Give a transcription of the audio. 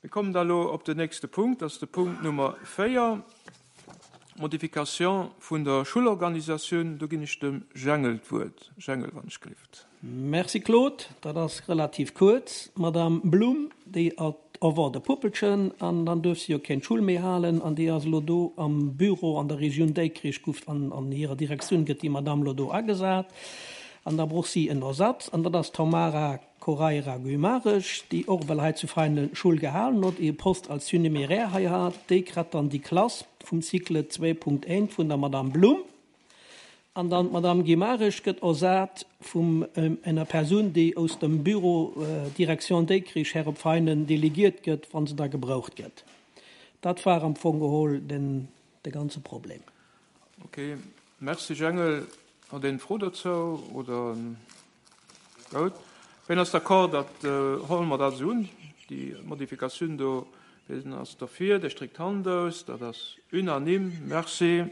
Mir kommen da elo op den nächste Punkt, dat ass de Punkt Nummer 4, Modification vun der Schullorganisatioun. Do ginn ech dem Jengel d'Wuert. Jengel, wann ech gelift. Merci Claude, dat ass relativ kuerz. D'Madame Blum, déi erwart e Puppelchen an dann duerf si jo keng Schull méi halen an déi ass elo do am Büro an der Regioun Déikrich, guff an hirer Direktioun gëtt déi Madame elo do agesat an da bruch si en Ersatz an dat ass d'Tamara Coraira Guimarães, déi och ewell hei zu Veinen Schull gehalen huet, ee Poste als Surnuméraire hei hat, déi kritt dann déi Klass vum Cycle 2.1 vun der Madame Blum. An dann d'Madame Guimarães gëtt ersat vum enger Persoun, déi aus dem Bureau Direction Dikrich her op Veinen delegiert gëtt, wa se da gebraucht gëtt. Dat war am Fong geholl den de ganze Problem. Ok, merci Jengel. Huet een Fro dozou oder? Goud. Ween ass d'accord, dat huele mer dat esou un, déi Modifikatioun do? Ween ass derfir, dee stréckt d'Hand aus. Dat ass unanime. Merci.